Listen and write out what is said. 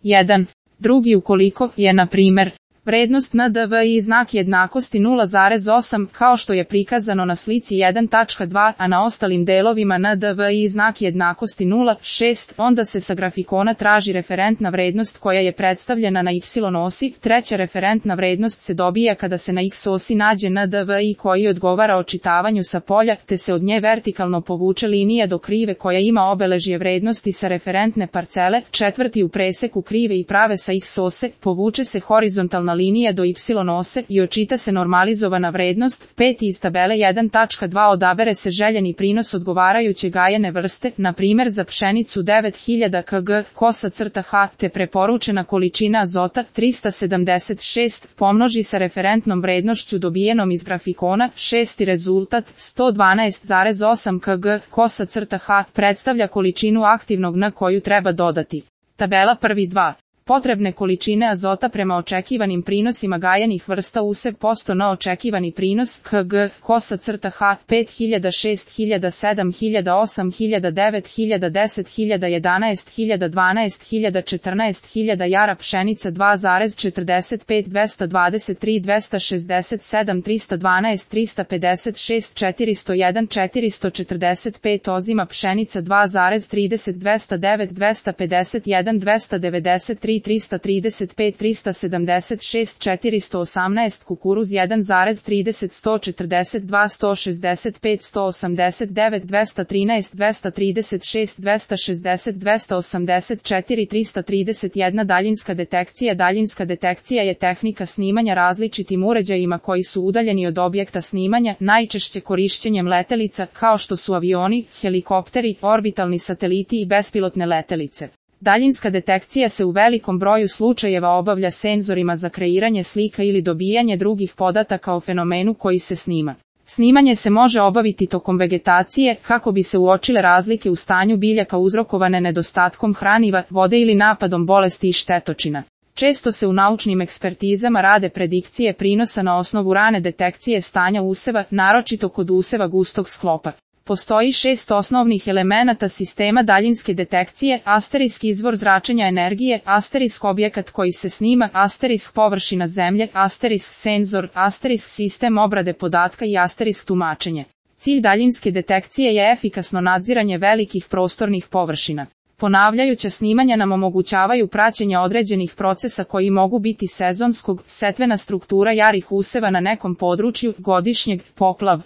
1. Drugi ukoliko je, na primer, vrednost NDVI znak jednakosti 0,8 kao što je prikazano na slici 1.2, a na ostalim delovima NDVI znak jednakosti 0,6, onda se sa grafikona traži referentna vrednost koja je predstavljena na y osi. Treća referentna vrednost se dobija kada se na x osi nađe NDVI koji odgovara očitavanju sa polja, te se od nje vertikalno povuče linija do krive koja ima obeležje vrednosti sa referentne parcele. Četvrti, u preseku krive i prave sa x ose povuče se horizontalna linija do y ose i očita se normalizovana vrednost. 5. Iz tabele 1.2 odabere se željeni prinos odgovarajuće gajene vrste, na primjer za pšenicu 9000 kg, kosa crta H, te preporučena količina azota 376, pomnoži sa referentnom vrednošću dobijenom iz grafikona. 6. Rezultat 112,8 kg, kosa crta H, predstavlja količinu aktivnog N koju treba dodati. Tabela 1.2. Potrebne količine azota prema očekivanim prinosima gajenih vrsta usev posto na očekivani prinos kg, kosa crta H, 5000, 6000, 7000, 8000, 9000, 10000, 11000, 12000, 14000, jara pšenica 2,45, 223, 267, 312, 356, 401, 445, ozima pšenica 2,30, 209, 251, 293, 335, 376, 418, kukuruz 1,30, 142, 165, 189, 213, 236, 260, 284, 331. Daljinska detekcija. Daljinska detekcija je tehnika snimanja različitim uređajima koji su udaljeni od objekta snimanja, najčešće korišćenjem letelica, kao što su avioni, helikopteri, orbitalni sateliti i bespilotne letelice. Daljinska detekcija se u velikom broju slučajeva obavlja senzorima za kreiranje slika ili dobijanje drugih podataka o fenomenu koji se snima. Snimanje se može obaviti tokom vegetacije kako bi se uočile razlike u stanju biljaka uzrokovane nedostatkom hraniva, vode ili napadom bolesti i štetočina. Često se u naučnim ekspertizama rade predikcije prinosa na osnovu rane detekcije stanja useva, naročito kod useva gustog sklopa. Postoji 6 osnovnih elemenata sistema daljinske detekcije: asterisk izvor zračenja energije, asterisk objekat koji se snima, asterisk površina zemlje, asterisk senzor, asterisk sistem obrade podatka i asterisk tumačenje. Cilj daljinske detekcije je efikasno nadziranje velikih prostornih površina. Ponavljajuća snimanja nam omogućavaju praćenje određenih procesa koji mogu biti sezonskog, setvena struktura jarih useva na nekom području, godišnjeg, poplav,